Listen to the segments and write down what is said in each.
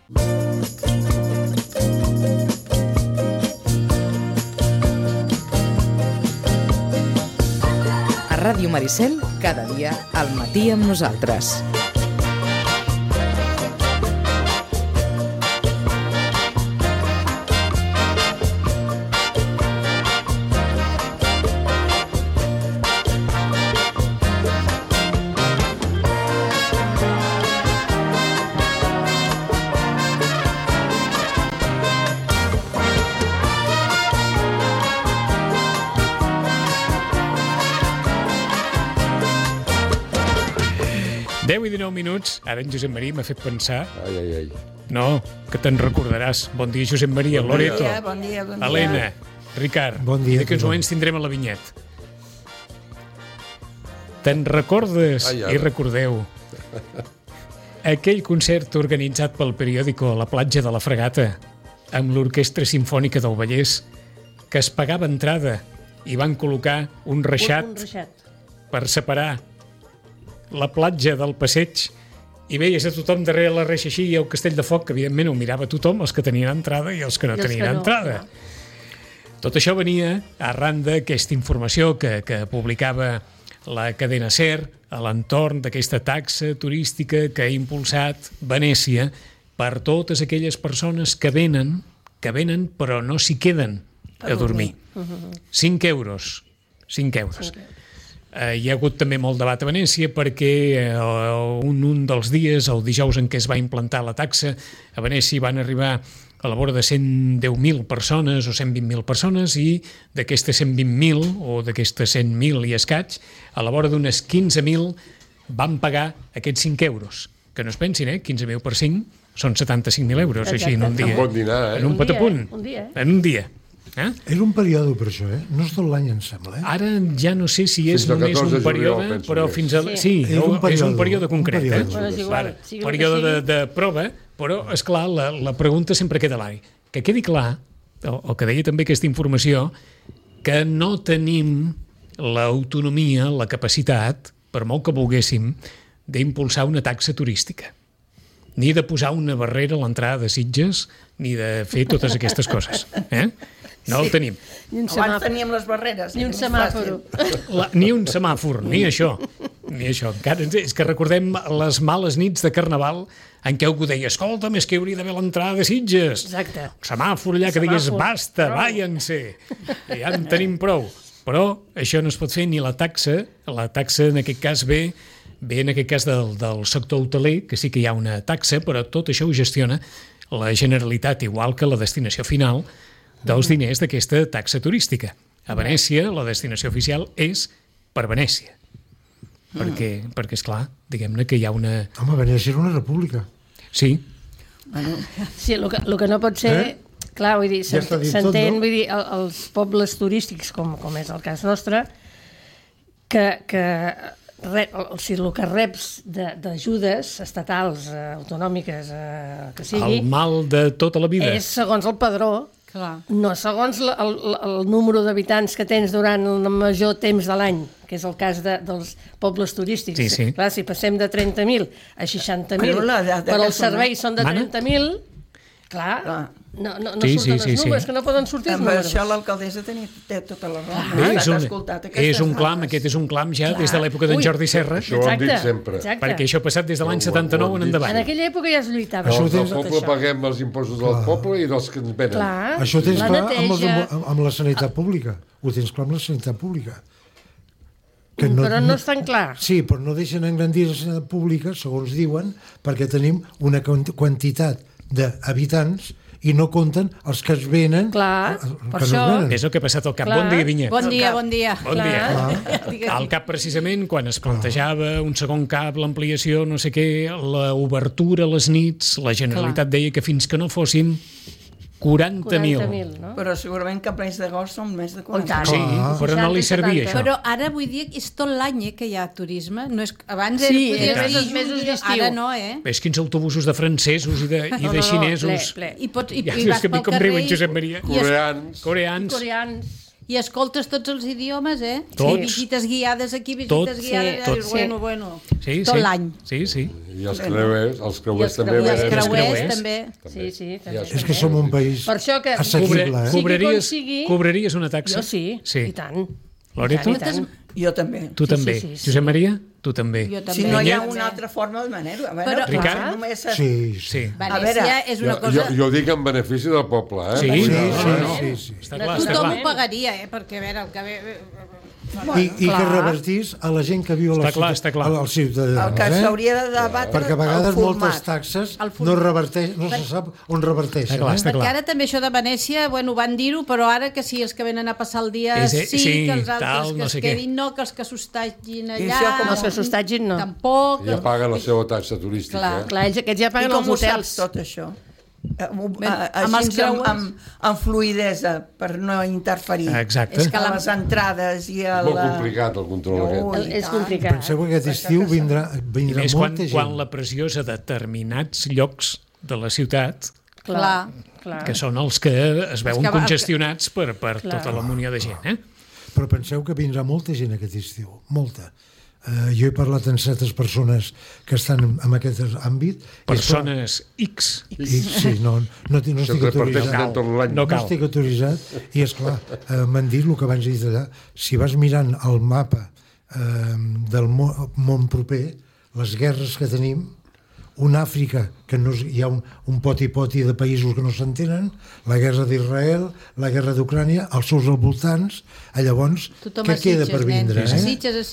A Ràdio Maricel, cada dia al matí amb nosaltres. I 19 minuts, ara en Josep Maria m'ha fet pensar... Ai. No, que te'n recordaràs. Bon dia, Josep Maria, bon Loreto, dia, bon dia. Helena, Ricard. Bon dia. D'aquí uns moments tindrem a la vinyet. Te'n recordes, i recordeu, aquell concert organitzat pel periòdico a la platja de la Fregata amb l'Orquestra Simfònica del Vallès, que es pagava entrada i van col·locar un reixat per separar la platja del passeig i veies a tothom darrere la reixa així i el castell de foc, que evidentment ho mirava tothom, els que tenien entrada i els que no tenien entrada. Tot això venia arran d'aquesta informació que publicava la cadena SER a l'entorn d'aquesta taxa turística que ha impulsat Venècia per totes aquelles persones que venen però no s'hi queden a dormir. 5 euros. 5 euros. Hi ha hagut també molt debat a Venècia perquè un dels dies, el dijous en què es va implantar la taxa, a Venècia van arribar a la vora de 110.000 persones o 120.000 persones i d'aquestes 120.000 o d'aquestes 100.000 i escaig, a la vora d'unes 15.000 van pagar aquests 5 euros. Que no es pensin, 15.000 per 5 són 75.000 euros, així en un dia. Un bon dinar, En un patapunt. En un dia. És un període per això, no és tot l'any, em sembla. Ara ja no sé si és només un període, però fins a... Sí, és un període concret. Període de prova, però, esclar, la pregunta sempre queda a l'aire. Que quedi clar, el que deia també aquesta informació, que no tenim l'autonomia, la capacitat, per molt que volguéssim, d'impulsar una taxa turística. Ni de posar una barrera a l'entrada de Sitges, ni de fer totes aquestes coses. No el tenim. Abans teníem les barreres. Ni un semàfor. Ni un semàfor, ni això. Encara és que recordem les males nits de Carnaval en què algú deia, escolta'm, és que hauria d'haver l'entrada de Sitges. Exacte. Un semàfor allà que digués, basta, váyanse. Ja en tenim prou. Però això no es pot fer ni la taxa en aquest cas ve en aquest cas del sector hoteler, que sí que hi ha una taxa, però tot això ho gestiona la Generalitat, igual que la destinació final dels diners d'aquesta taxa turística. A Venècia, la destinació oficial és per Venècia. Perquè esclar, diguem-ne que hi ha una... Home, Venècia és una república. Sí. Sí, el que no pot ser... Clar, vull dir, s'entén, vull dir, els pobles turístics, com és el cas nostre, que el que reps d'ajudes estatals, autonòmiques, que sigui... El mal de tota la vida. És segons el padró, no segons el número d'habitants que tens durant el major temps de l'any, que és el cas dels pobles turístics. Sí. Clar, si passem de 30.000 a 60.000, però els serveis són de 30.000, clar, no surten els números, que no poden sortir els números. Amb això l'alcaldessa té tota la raó. Aquest és un clam ja des de l'època d'en Jordi Serra. Això ho hem dit sempre. Perquè això ha passat des de l'any 79 en endavant. En aquella època ja es lluitava. El poble paguem els impostos del poble i dels que ens venen. Això ho tens clar amb la sanitat pública. Ho tens clar amb la sanitat pública. Però no és tan clar. Sí, però no deixen engrandir la sanitat pública, segons diuen, perquè tenim una quantitat d'habitants i no compten els que es venen. Clar, per això... És el que ha passat al CAP. Bon dia, Vinyet. Bon dia. Bon dia. Al CAP, precisament, quan es plantejava un segon CAP, l'ampliació, no sé què, l'obertura a les nits, la Generalitat deia que fins que no fóssim 40.000. No? Però segurament que a plens d'agost són més de 40.000. Sí, però no li servia això. Però ara vull dir que és tot l'any que hi ha turisme. No és... Abans podia ser els mesos d'estiu. Ara no, Ves quins autobusos de francesos i de xinesos. I vas pel carrer... Com riuen, Josep Maria. Coreans. Coreans. I escoltes tots els idiomes, Tots. Visites guiades aquí, visites guiades allà. Tots. Bueno. Sí, tot l'any. Sí. I els creuers també. I els creuers també. Sí, també. És que som un país assequible, Cobraries una taxa? Jo sí, i tant. Loreto? Jo també. Tu també. Josep Maria? Tu també. Si no hi ha una altra forma de manera. Ricard? Sí. Venècia és una cosa... Jo dic en benefici del poble, Sí. Està clar. Tothom ho pagaria, perquè a veure, el que ve... I que revertís a la gent que viu a la ciutat, als ciutadans. El que s'hauria de debatre, perquè a vegades moltes taxes no se sap on reverteixen. Perquè ara també això de Venècia, van dir-ho, però ara que sí, els que venen a passar el dia que els altres que es quedin no, que els que s'hostatgin allà... Els que s'hostatgin no. Tampoc... Ja paguen la seva taxa turística. Clar, aquests ja paguen els hotels. I com ho saps tot això? Amb fluïdesa per no interferir a les entrades i a és molt complicat el control aquest. És complicat. Penseu que aquest estiu vindrà molta gent. Quan la pressió és a determinats llocs de la ciutat, que són els que es veuen congestionats per tota la munió de gent. Però penseu que vindrà molta gent aquest estiu, molta. Jo he parlat amb certes persones que estan en aquest àmbit. Persones X. Sí, no estic autoritzat. No estic autoritzat. I esclar, m'han dit el que abans he dit allà, si vas mirant el mapa del món proper, les guerres que tenim, una Àfrica que hi ha un poti-poti de països que no s'entenen, la guerra d'Israel, la guerra d'Ucrània, els seus al voltants, llavors, què queda per vindre? A Sitges.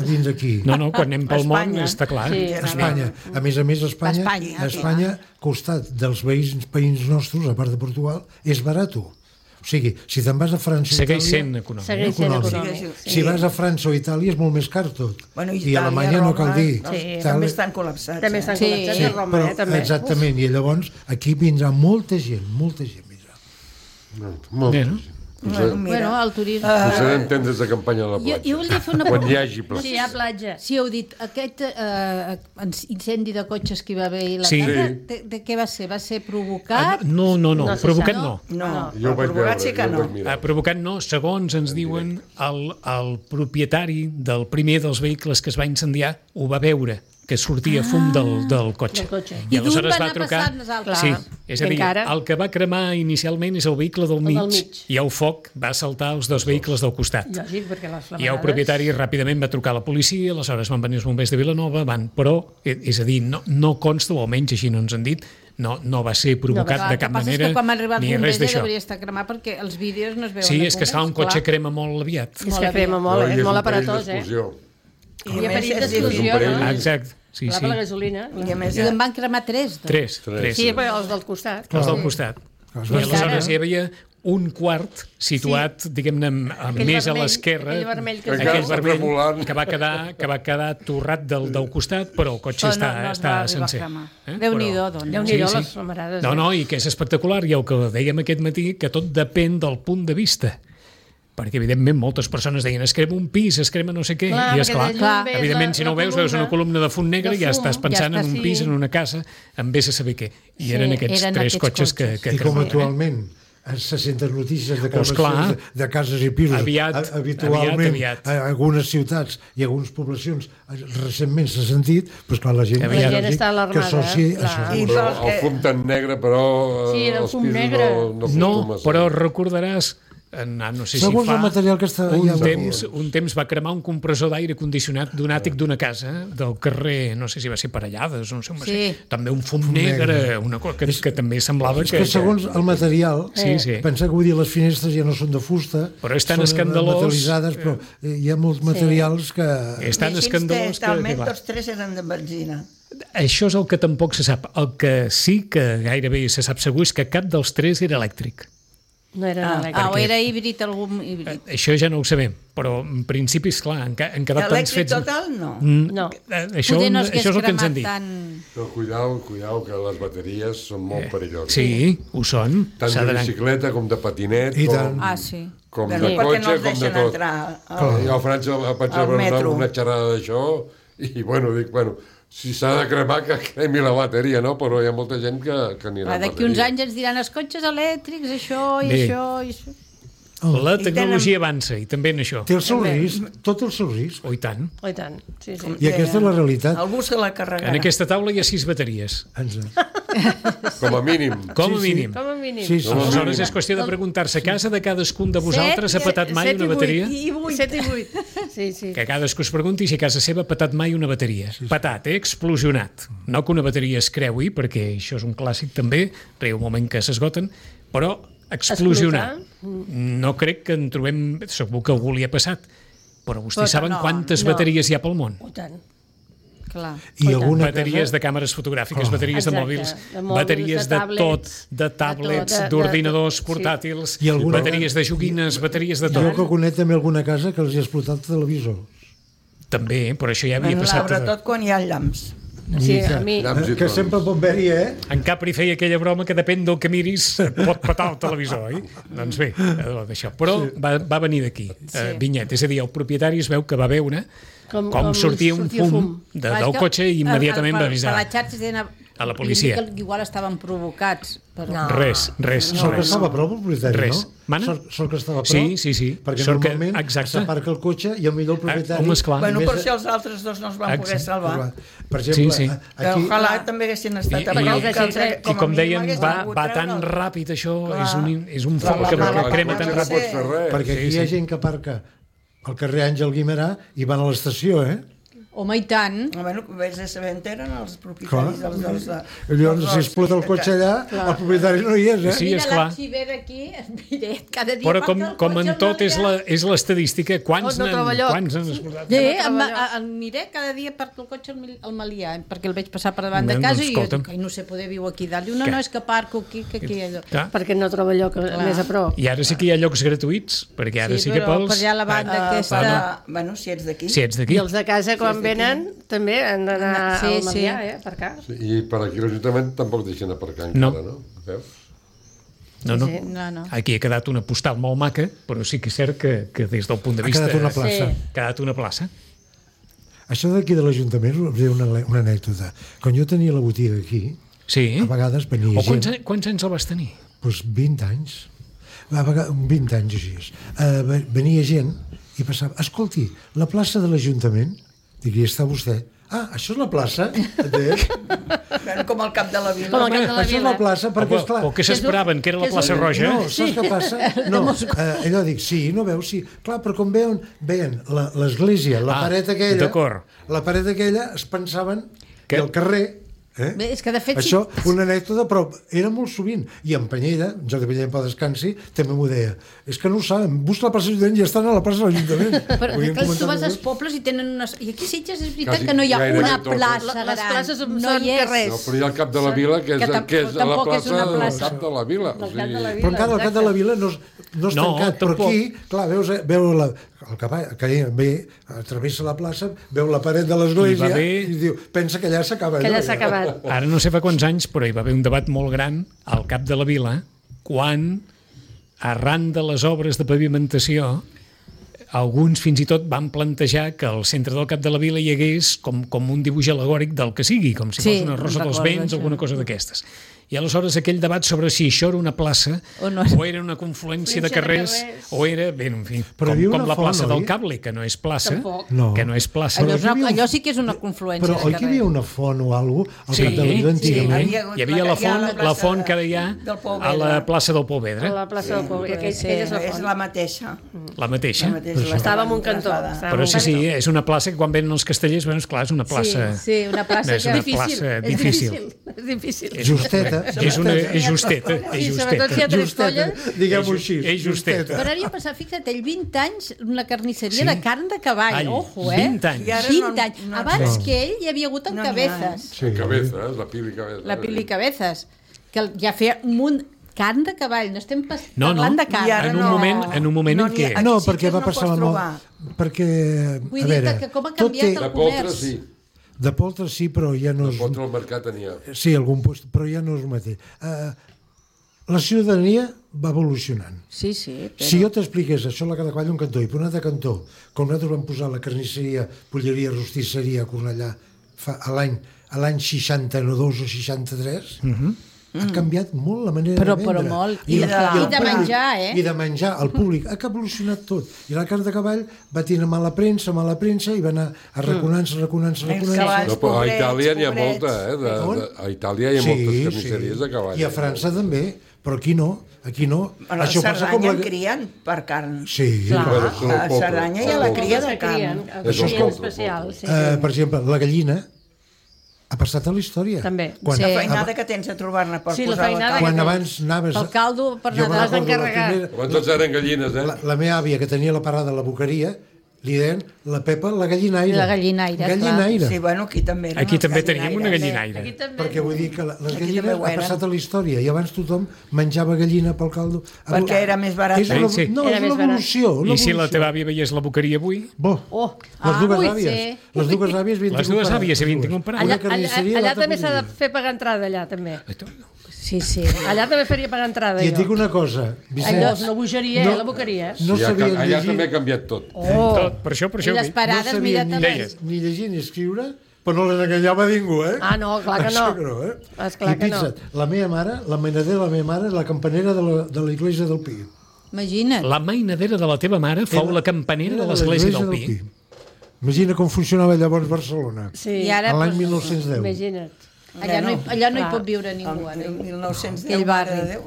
Vindre aquí. No, quan anem pel món està clar. Espanya. A més, Espanya, costat dels veïns nostres, a part de Portugal, és barat. O sigui, si te'n vas a França o Itàlia... Segueix sent econòmic. Si vas a França o Itàlia és molt més car tot. I a Alemanya no cal dir. També estan col·lapsats. També estan col·lapsats a Roma, també. Exactament, i llavors aquí vindrà molta gent vindrà. Molta gent. El turisme... Potser anem des de campanya a la platja. Jo volia fer una quan hi hagi platja. Sí, hi ha platja. Sí, heu dit, aquest incendi de cotxes que hi va haver a la tarda, de què va ser? Va ser provocat? No, provocat no. Jo vaig veure. Provocat no, segons ens diuen, el propietari del primer dels vehicles que es va incendiar ho va veure, que sortia fum del cotxe. I aleshores va trucar... Sí, és a dir, el que va cremar inicialment és el vehicle del mig i el foc va saltar els dos vehicles del costat. I el propietari ràpidament va trucar a la policia, aleshores van venir els bombers de Vilanova, però, és a dir, no consta, o almenys així no ens han dit, no va ser provocat de cap manera, ni res d'això. Hauria estat cremar perquè els vídeos no es veuen. Sí, és que un cotxe crema molt aviat. És que crema molt, és molt aparatós, I a més d'explosió, no? Exacte. Sí. Per la gasolina. I en van cremar 3. Sí, però els del costat. Els del costat. I aleshores hi havia un quart situat, diguem-ne, més a l'esquerra, aquell vermell que va quedar torrat del costat, però el cotxe està sencer. Déu-n'hi-do, doncs. Les camarades. No, i que és espectacular, i el que dèiem aquest matí, que tot depèn del punt de vista. Perquè, evidentment, moltes persones deien es crema un pis, es crema no sé què, i esclar, evidentment, si no ho veus una columna de fum negre i ja estàs pensant en un pis, en una casa, en vés a saber què. I eren aquests tres cotxes que cremaven. I com actualment se senten notícies de cases i pisos habitualment a algunes ciutats i algunes poblacions recentment s'ha sentit, doncs clar, la gent està alarmada. El fum tan negre, però els pisos no... No, però recordaràs... No sé segons el material que està un temps va cremar un compressor d'aire condicionat d'un àtic d'una casa del carrer, no sé si va ser Parellades, no sé on va ser, també un fum negre, una cosa que també semblava que segons el material, pensar que vull dir les finestres ja no són de fusta, però és tan escandalós, metal·litzades, però hi ha molts materials que... És tan escandalós que... Talment tots tres eren de benzina. Això és el que tampoc se sap. El que sí que gairebé se sap segur és que cap dels tres era elèctric. No era elèctric. O era híbrid, algun híbrid. Això ja no ho sabem, però en principi, esclar, han quedat tants fets... Elèctric total, no. Això és el que ens han dit. Però cuidao, que les bateries són molt perilloses. Sí, ho són. Tant de bicicleta com de patinet, com de cotxe, com de tot. Jo a França vaig veure una xerrada d'això i, dic, si s'ha de cremar, que cremi la bateria, no? Però hi ha molta gent que anirà amb bateria. D'aquí uns anys ens diran els cotxes elèctrics, això i això i això. La tecnologia avança, i també en això. Té el seu risc, tot el seu risc. I tant. Sí. I aquesta és la realitat. Algú se la carregarà. En aquesta taula hi ha 6 bateries. Com a mínim. Com a mínim. Sí. Aleshores és qüestió de preguntar-se, a casa de cadascun de vosaltres ha petat mai una bateria? 7 i 8. Sí. Que cadascú es pregunti si a casa seva ha petat mai una bateria. Petat, explosionat. No que una bateria es creui, perquè això és un clàssic també, arriba un moment que s'esgoten, però explosionar. No crec que en trobem... Segur que algú li ha passat, però vostès saben quantes bateries hi ha pel món. Tant. Clar. I bateries de càmeres fotogràfiques, bateries de mòbils, bateries de tot, de tablets, d'ordinadors portàtils, bateries de joguines, bateries de tot. Jo que conec també alguna casa que els hi ha explotat el televisor. També, però això ja havia passat. Sobretot quan hi ha llamps. Sí, a mi... Que sempre pot haver-hi, En Capri feia aquella broma que depèn del que miris pot petar el televisor, oi? Doncs bé, d'això. Però va venir d'aquí, Vinyet. És a dir, el propietari es veu que va veure com sortia un fum del cotxe i immediatament va avisar a la policia. Que igual estaven provocats. Però... Res. Sort que estava a prop el propietari, no? Sort que estava a prop. Sí. Perquè normalment s'aparca el cotxe i millor el propietari... Bueno, per això els altres dos no es van poder salvar. Per exemple, aquí... Ojalà també haguessin estat a prop. I com deien, va tan ràpid això, és un foc que crema tan ràpid. Perquè aquí hi ha gent que aparca al carrer Àngel Guimerà i van a l'estació, Home, i tant. Bueno, vés a saber on eren els propietaris dels... Llavors, si explota el cotxe allà, el propietari no hi és, Sí, és clar. Mira aquí, cada dia... Però com en tot és l'estadística, quants n'han explotat? Mira, cada dia parco el cotxe al Malià, perquè el veig passar per davant de casa i jo dic, no sé, poder viu aquí dalt. No, és que parco aquí, que aquí allò. Perquè no troba lloc més a prop. I ara sí que hi ha llocs gratuïts, perquè ara sí que pels... Sí, però per allà a la banda aquesta... Bueno, si ets d'aquí. I els de casa, quan venen, també han d'anar al Malià, aparcar. I per aquí l'Ajuntament tampoc deixen aparcar encara, no? Veus? No. Aquí ha quedat una postal molt maca, però sí que és cert que des del punt de vista... Ha quedat una plaça. Ha quedat una plaça. Això d'aquí de l'Ajuntament us diré una anècdota. Quan jo tenia la botiga aquí, a vegades venia gent... Quants anys el vas tenir? Doncs 20 anys. 20 anys així. Venia gent i passava... Escolti, la plaça de l'Ajuntament... Dic, hi està vostè. Això és la plaça? Com al cap de la vila. Això és la plaça, perquè és clar... O què s'esperaven, que era la plaça Roja? No, saps què passa? No, allò dic, sí, no veus? Sí. Clar, però com veien l'església, la paret aquella, es pensaven que el carrer... Bé, és que de fet... Això, una anècdota, però era molt sovint. I en Penyeda, en Jordi Penyeda per descansi, també m'ho deia. És que no ho saben, busca la plaça de l'Ajuntament i estan a la plaça de l'Ajuntament. Però tu vas als pobles i tenen unes... I aquí a Sitges és veritat que no hi ha una plaça gran. Les places són carrers. No, però hi ha el cap de la vila, que és la plaça del cap de la vila. Però encara el cap de la vila no és tancat. Però aquí, clar, veus el cavall que ve, travessa la plaça, veu la paret de l'església i diu, pensa que allà s'acaba. Que allà s'ha acabat. Ara no sé fa quants anys, però hi va haver un debat molt gran al cap de la vila quan, arran de les obres de pavimentació, alguns fins i tot van plantejar que al centre del cap de la vila hi hagués com un dibuix al·legòric del que sigui, com si fos una rosa dels vents o alguna cosa d'aquestes. I aleshores aquell debat sobre si això era una plaça o era una confluència de carrers o era, bé, en fi, com la plaça del Cable, que no és plaça, que no és plaça. Allò sí que és una confluència de carrers. Però oi que hi havia una font o alguna cosa al cap de la vila antigament? Hi havia la font que ara hi ha a la plaça del Pou Vedre. A la plaça del Pou Vedre, és la mateixa. La mateixa? Estava en un cantó. Però sí, és una plaça que quan venen els castellers, és clar, és una plaça... Sí, una plaça difícil. És difícil. Justeta. És justeta. I sobretot si hi ha tres colles. Diguem-ho així. És justeta. Però ara hi ha passat, fixa't, 20 anys una carnisseria de carn de cavall. Ojo, 20 anys. 20 anys. Abans que ell hi havia hagut en Cabezas. Sí, Cabezas, la Pili Cabezas. La Pili Cabezas, que ja feia un munt... Carn de cavall, no estem parlant de carn. En un moment en què... No, perquè va passar la moda. Perquè, a veure... que com ha canviat el comerç. De poltres sí, però ja no és... De poltres al mercat tenia. Sí, algun lloc, però ja no és el mateix. La ciutadania va evolucionant. Sí, però... Si jo t'expliqués això a la cada quall un cantó i per un altre cantó, com nosaltres vam posar la carnisseria, polleria, rostisseria a Cornellà a l'any 62 o 63, ha canviat molt la manera de vendre. Però molt. I de menjar, I de menjar. El públic ha evolucionat tot. I la carn de cavall va tenir mala premsa, i va anar arraconant-se. No, però a Itàlia n'hi ha molta, a Itàlia hi ha moltes carnisseries de cavall. I a França també, però aquí no. A Cerdanya crien per carn. Sí. A Cerdanya hi ha la cria de carn. Això és especial. Per exemple, la gallina ha passat a la història. També. La feinada que tens a trobar-ne per posar la carn. Quan abans anaves... El caldo per Nadal has d'encarregar. Quan tots eren gallines, La meva àvia, que tenia la parada a la boqueria, li deien la Pepa la gallinaire. La gallinaire, clar. Sí, bueno, aquí també. Aquí també teníem una gallinaire. Perquè vull dir que les gallines ha passat a la història i abans tothom menjava gallina pel caldo. Perquè era més barat. No, és l'evolució. I si la teva àvia veiés la boqueria avui? Les dues àvies. Les dues àvies havien tingut un parat. Allà també s'ha de fer pagar entrada, allà també. Sí. Allà també faria pagar entrada. I et dic una cosa, Vicenç. Allò és una bogeria, la boqueria. Allà també ha canviat tot. Per això. I les parades, mira, també. Ni llegir ni escriure, però no les enganyava ningú, Ah, no, clar que no. I fixa't, la meva mare, la mainadera de la meva mare, la campanera de l'església del Pi. Imagina't. La mainadera de la teva mare fou la campanera de l'església del Pi. Imagina com funcionava llavors Barcelona. Sí. L'any 1910. Imagina't. Allà no hi pot viure ningú. El 1910, mare de Déu.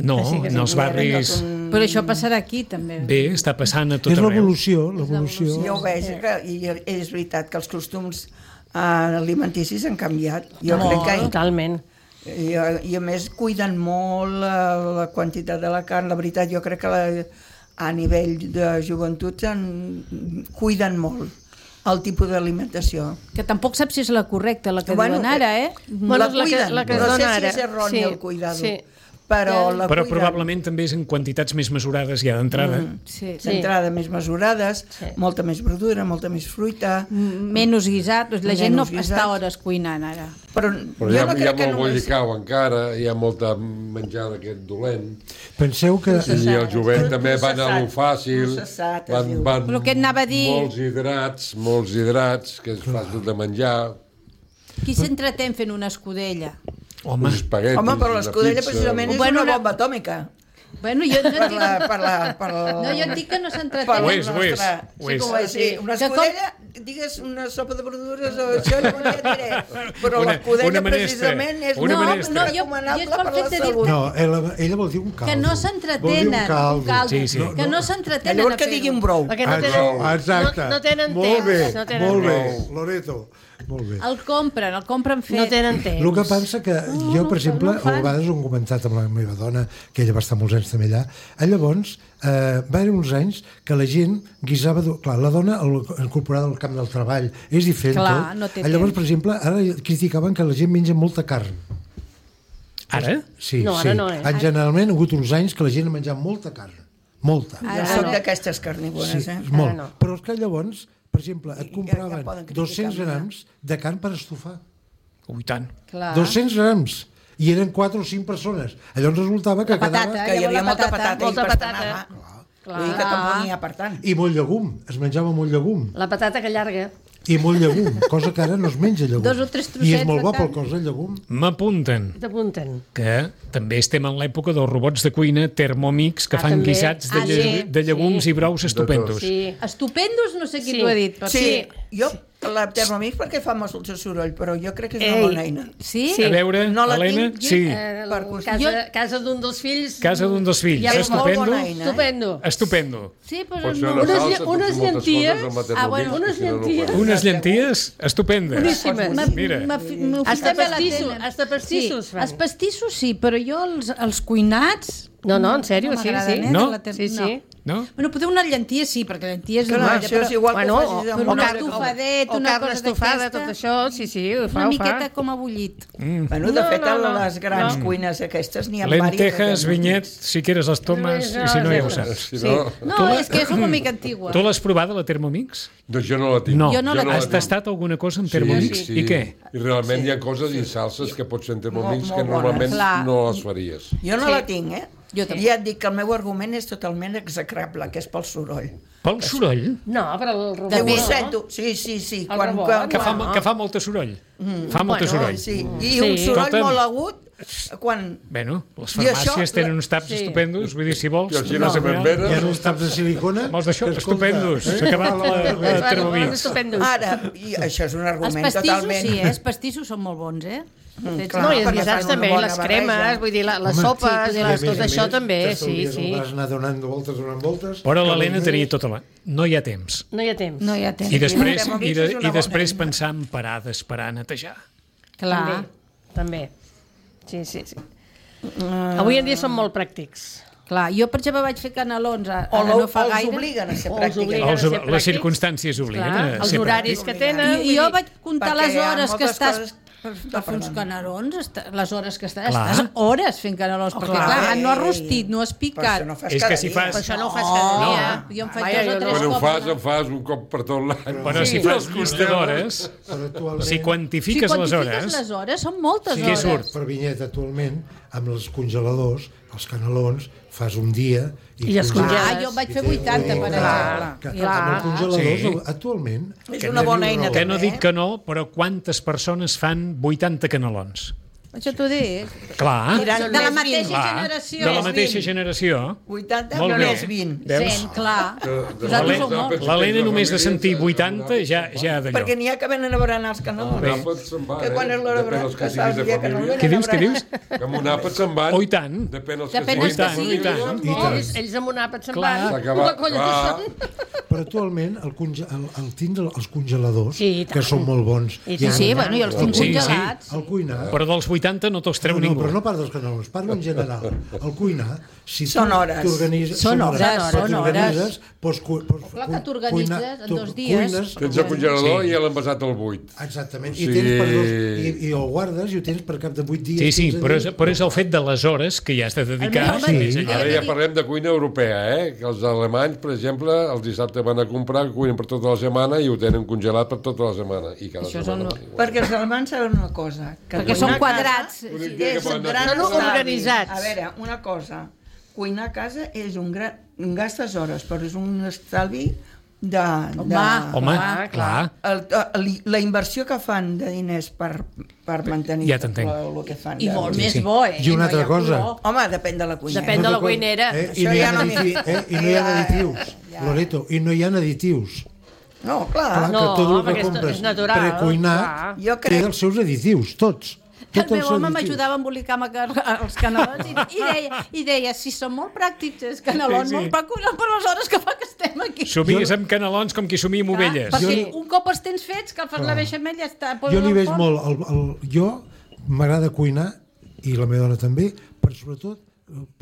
No, en els barris... Però això passarà aquí, també. Bé, està passant a tot arreu. És l'evolució. Jo ho veig, i és veritat que els costums alimenticis han canviat. Jo crec que... Totalment. I a més cuiden molt la quantitat de la carn. La veritat, jo crec que a nivell de joventut cuiden molt el tipus d'alimentació. Que tampoc saps si és la correcta, la que diuen ara, La cuiden, no sé si és erroni el cuidado. Però probablement també és en quantitats més mesurades ja d'entrada. D'entrada més mesurades, molta més verdura, molta més fruita. Menys guisat, la gent no està hores cuinant ara. Però hi ha molt bollicau encara, hi ha molta menjar d'aquest dolent. Penseu que... I el jovent també van a lo fàcil, van molts hidrats, que és fàcil de menjar. Qui s'entretén fent una escudella? Home, però l'escudella precisament és una bomba atòmica. Bueno, jo no dic... No, jo dic que no s'entretén. Ho és. Una escudella, digues una sopa de verdures o això, ja et diré. Però l'escudella precisament és recomanable per la salut. No, ella vol dir un caldo. Que no s'entretenen. Que no s'entretenen. Llavors que digui un brou. Exacte. No tenen temps. Molt bé, Loreto. El compren fet. No tenen temps. El que passa que jo, per exemple, a vegades ho he comentat amb la meva dona, que ella va estar molts anys també allà, llavors va haver uns anys que la gent guisava... Clar, la dona incorporada al camp del treball és diferent tot. Llavors, per exemple, ara criticaven que la gent menja molta carn. Ara? Sí. Generalment ha hagut uns anys que la gent ha menjat molta carn. Molta. Jo soc d'aquestes carnívores, molt. Però és que llavors, per exemple, et compraven 200 grams de carn per estofar. Ui, tant. 200 grams. I eren 4 o 5 persones. Llavors resultava que quedava... Que hi havia molta patata i pastanaga. Vull dir que tampoc n'hi ha per tant. I molt llegum. Es menjava molt llegum. La patata que llarga. I molt llegum, cosa que ara no es menja llegum. 2 o 3 trossets. I és molt bo pel cos, el llegum. M'apunten que també estem en l'època dels robots de cuina Thermomix que fan guisats de llegums i brous estupendos. Estupendos no sé qui t'ho ha dit. Sí, jo la Thermomix perquè fa molt soroll, però jo crec que és una bona eina. Sí? A veure, Helena, sí. Casa d'un dels fills. Casa d'un dels fills. Estupendo. Sí, però unes llenties. Unes llenties estupendes. Boníssimes. Mira. Hasta pastissos fan. Els pastissos sí, però jo els cuinats... No, en sèrio, sí. No? Sí. No? Bueno, potser una llentia sí, perquè lenties... Això és igual que facis amb una estofadet, una cosa estofada, tot això, sí, ho fa. Una miqueta com a bullit. Bueno, de fet, a les grans cuines aquestes n'hi ha diverses. Lentejas, vinyet, si quieres les tomes, i si no ja ho saps. No, és que és una mica antigua. Tu l'has provada, la Thermomix? Doncs jo no la tinc. No. Has tastat alguna cosa amb Thermomix? I què? I realment hi ha coses i salses que pots fer en Thermomix que normalment no les faries. Jo no la tinc, I ja et dic que el meu argument és totalment execrable, que és pel soroll. Pel soroll? No, però el rebot. Ho sento, sí. Que fa molt de soroll. Fa molt de soroll. I un soroll molt agut, quan... Bueno, les farmàcies tenen uns taps estupendos, vull dir, si vols... I els se m'envenen. Hi ha uns taps de silicona... Molts d'això, estupendos. S'ha acabat la termobits. Ara, i això és un argument totalment... Els pastissos són molt bons, No, i els guisats també, les cremes, vull dir, les sopes, tot això també, sí. Vas anar donant voltes... Però l'Helena tenia tota la... No hi ha temps. No hi ha temps. I després pensar en parar d'esperar a netejar. Clar. També. Sí. Avui en dia són molt pràctics. Clar, jo per exemple vaig fer canelons ara no fa gaire. Els obliguen a ser pràctics. Les circumstàncies obliguen a ser pràctics. Els horaris que tenen. Jo vaig comptar les hores que estàs per fer uns canelons, les hores que estàs hores fent canelons, perquè clar, no has rostit, no has picat. És que si fas... Per això no ho fas cada dia. Jo em faig 2 o 3 cops. Quan ho fas un cop per tot l'any. Però si fas llista d'hores, si quantifiques les hores... són moltes hores. Què surt? Per vinyet, actualment, amb els congeladors, els canelons, fas un dia... I els congeles. Jo vaig fer 80, per exemple. Amb els congeladors, actualment... És una bona eina. Que no dic que no, però quantes persones fan 80 canelons? Això t'ho dic. Clar. De la mateixa generació. De la mateixa generació. 80 més 20. 100, clar. L'Helena només de sentir 80 ja d'allò. Perquè n'hi ha que venen a berenar els canelons. Que quan és l'hora de passar el dia que no venen a berenar. Què dius? Que amb un àpat se'n van. Oh, i tant. Depèn dels que siguin. Ells amb un àpat se'n van. Una colla que són. Però actualment el tindre els congeladors, que són molt bons. Sí, bueno, i els tinc congelats. El cuinar... Però dels 80 no te'ls treu ningú. No, però no parlo dels canelons, parlo en general. El cuinar, si són hores. Són hores. Clar que t'organitzes en 2 dies. Tens el congelador i l'envasat al buit. Exactament. I el guardes i ho tens per cap de 8 dies. Sí, però és el fet de les hores que hi has de dedicar. Ara ja parlem de cuina europea, que els alemanys, per exemple, els dissabtes van a comprar, cuinen per tota la setmana i ho tenen congelat per tota la setmana. I cada setmana. Perquè els alemanys saben una cosa. Perquè són quadrats. Són organitzats. A veure, una cosa. Cuinar a casa és gastes hores, però és un estalvi de... Home, clar. La inversió que fan de diners per mantenir el que fan. I molt més bo, I una altra cosa. Home, depèn de la cuinera. Depèn de la cuinera. I no hi ha additius. Loreto, i no hi ha additius. No, clar. Que tot el que compres precuinat té els seus additius, tots. El meu home m'ajudava a embolicar els canelons i deia, si són molt pràctics els canelons, molt precuinats per les hores que fa que estem aquí. Somies amb canelons com qui somia amb ovelles. Perquè un cop els tens fets, que el fas la beixamel ja està. Jo li veig molt... Jo m'agrada cuinar, i la meva dona també, però sobretot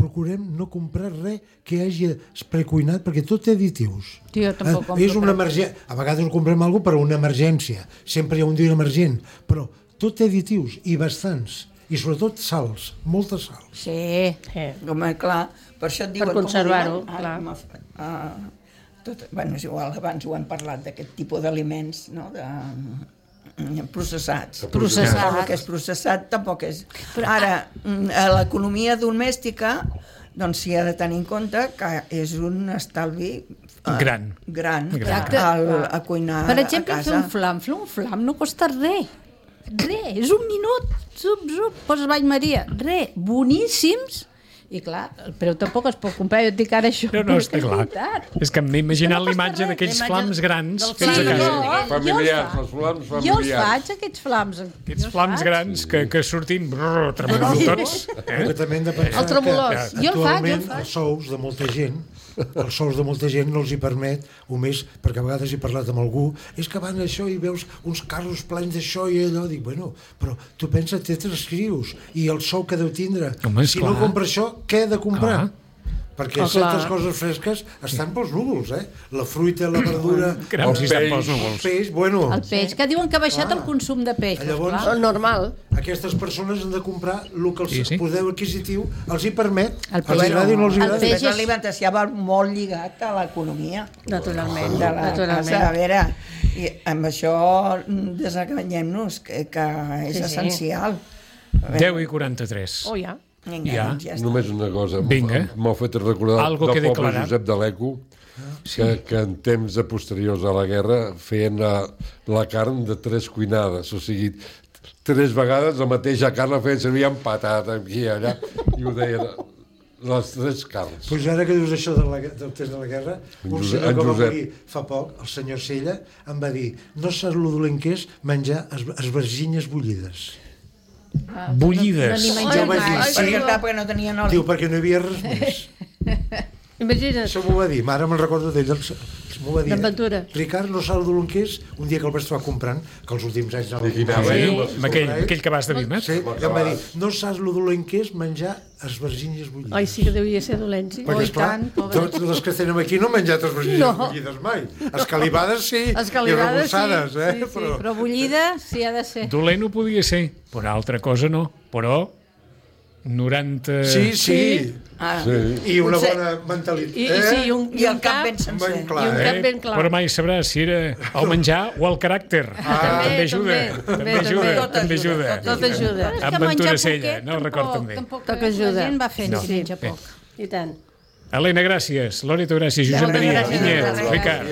procurem no comprar res que hagi precuinat, perquè tot té additius. Jo tampoc compro. És una emergència. A vegades ho comprem alguna cosa per una emergència. Sempre hi ha un dia emergent, però tot té additius, i bastants, i sobretot sals, molta sal. Sí, home, clar, per això et diuen... Per conservar-ho, clar. Bueno, és igual, abans ho hem parlat d'aquest tipus d'aliments, no?, processats. El que és processat tampoc és... Ara, l'economia domèstica, doncs s'hi ha de tenir en compte que és un estalvi gran a cuinar a casa. Per exemple, fer un flam no costa res. És un minut, poses bany Maria, boníssims, i clar, el preu tampoc es pot comprar, jo et dic ara això. No, està clar. És que m'he imaginat l'imatge d'aquells flams grans fets a casa. Familiars, els flams familiars. Jo els faig, aquests flams. Aquests flams grans que sortim tremolant tots. El tremolós. Jo el faig. Els sous de molta gent no els hi permet, o més, perquè a vegades he parlat amb algú, és que van això i veus uns carros plens d'això i allò, dic, bueno, però tu pensa, té 3 crios, i el sou que deu tindre. Si no compra això, què he de comprar? Perquè certes coses fresques estan pels núvols, La fruita, la verdura, el peix, bueno... El peix, que diuen que ha baixat el consum de peix. Llavors, normal. Aquestes persones han de comprar el que el poder adquisitiu els hi permet, els agradi o no els agradi. El peix i l'alimentació va molt lligat a l'economia. Naturalment. A veure, i amb això desenganyem-nos, que és essencial. 10:43. Oh, ja. Ja. Només una cosa. Vinga. M'ho fet recordar del poble Josep de l'Eco, que en temps posteriors a la guerra feien la carn de 3 cuinades, o sigui, 3 vegades la mateixa carn la feien servir amb patata, aquí i allà, i ho deien les 3 carns. Doncs ara que dius això del temps de la guerra, un senyor que va morir fa poc, el senyor Sella, em va dir: no saps lo dolent que és menjar esverginyes bullides. Bullides? Perquè no tenien oli. Diu, perquè no hi havia res més. Imagina't. Això m'ho va dir, ara me'n recordo d'ell, m'ho va dir. D'Aventura. Ricard no sap el que és, un dia que el vaig trobar comprant, que els últims anys aquell que vas de Vimet. Sí, i em va dir, no saps el dolent que és menjar esverginyes bullides. Ai, sí que devia ser dolent, sí. Perquè, esclar, tots les que estem aquí no hem menjat esverginyes bullides mai. Escalivades sí, i rebossades, però bullida sí ha de ser. Dolent ho podia ser, però altra cosa no. Però 90... Sí. I una bona mentalitat. I el cap ben sencer. I un cap ben clar. Però mai sabràs si era el menjar o el caràcter. També ajuda. També ajuda. Tot ajuda. Amb Ventura Sella, no el record també. Tampoc ajuda. La gent va fent si menja poc. I tant. Helena, gràcies. Loreto, gràcies. Josep Maria, Vinyet, Ricard.